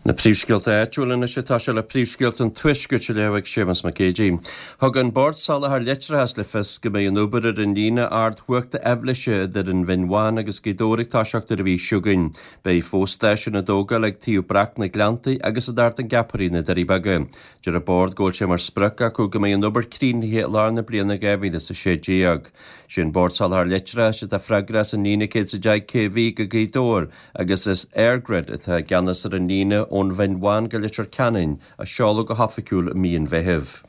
Na príomhscéalta áitiúla anois atá sé le príomhscéalta an Tuaiscirt á léamh ag Séamus Mac Géidigh. Thug an Bord Soláthair Leictreachais le fios go mbeidh an obair ar an líne ardchumhachta aibhléise idir an Bhinn Bhán agus Gaoth Dobhair ag toiseacht ar an mhí seo chugainn. Beidh fo-stáisiúin á dtógáil ag Taobh Breac na Gleanntaí agus in Ard an Gceapaire na Doirí Beaga. Deir an Bord go bhfuil sé mar sprioc acu go mbeidh an obair críochnaithe i lár na bliana 2016. Sé an Bord Soláthair Leictreachais atá freagrach as an líne 110 kV go Gaoth Dobhair agus is EirGrid atá i gceannas ar an líne ón Bhinn Bhán go Leitir Ceanainn, a seoladh go hoifigiúil i mí an Mheithimh.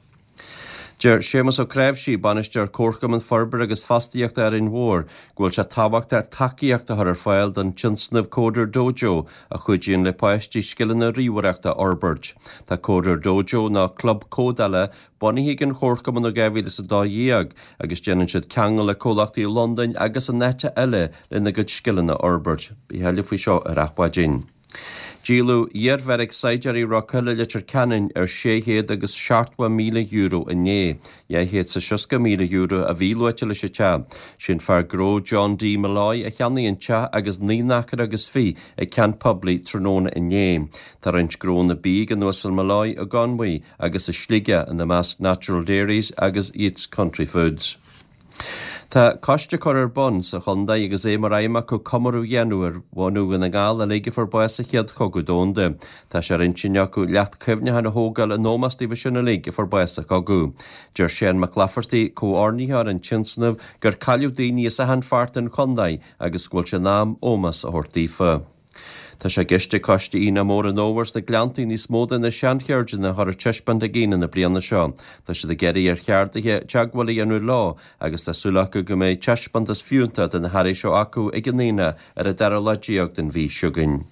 Deir Séamus Ó Cnáimhsí, Bainisteoir Comharchumann Forbartha agus Fostaíochta Árainn Mhór, go bhfuil sé tábhachtach tacaíocht a chur ar fáil don tionscnamh Coder Dojo a chuidíonn le páistí scileanna ríomhaireachta a fhorbairt. Tá Coder Dojo, nó club códála, bunaithe ag an Chomharchumann ó 2012 agus déanann siad ceangal le comhlachtaí i Londain agus in áiteacha eile lena gcuid scileanna a fhorbairt. Beidh a thuilleadh faoi seo ar Adhmhaidin. Díoladh iarbheairic saighdiúirí Rock Hill i Leitir Ceanainn ar €670,000 inné. €260,000 a bhí luaite leis an teach. Sé'n fear gnó John D Molloy a cheannaigh an teach agus naoi n-acra agus fiche ag ceant poiblí tráthnóna inné. Tá roinnt gnónna bídh ag an Uasal Molloy i gConmhaigh agus i Sligeach, ina measc Natural Dairies agus Yeats Country Foods. Tá coiste curtha ar bun sa chontae agus é mar aidhm acu comóradh a dhéanamh ar bhunadh Dhún na nGall uilig a fuair bás sa Chéad Chogadh Domhanda. Tá sé ar intinn acu leacht cuimhneacháin a thógáil in ómós daofa sin uilig a fuair bás sa chogadh. Deir Seán Mac Laifeartaigh, comhordaitheoir an tionscnaimh, gur cailleadh daoine as achan pháirt den chontae agus go bhfuil sé in am ómós a thabhairt daofa. Tá sé i gceist ag Coiste Aonach Mór an Fhómhair sna Gleanntaí níos mó de na seancheirdeanna a chur ar taispeáint ag Aonach na bliana seo. Tá siad ag iarraidh ar cheardaithe teagmháil a dhéanamh leo agus tá súil acu go mbeidh taispeántas fiúntach de na hearraí seo acu ag an Aonach ar an dara lá den mhí seo chugainn.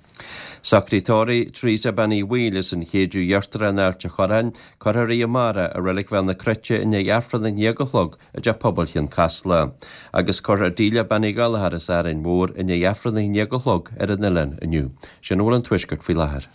Socraithe tórraimh Teresa Bean Uí Bhaoill as an Chéideadh Íochtarach in Ailt a' Chorráin, cuirfear í amárach i Reilig Bhéal na Cruite i ndiaidh Aifreann a haon déag a chlog i dTeach Pobail Chionn Caslach, agus cuirfear Delia Bean Uí Ghallchóir as Árainn Mhór i ndiaidh Aifreann a haon déag a chlog ar an oileán inniu. Sin a bhfuil ón Tuaisceart faoi láthair.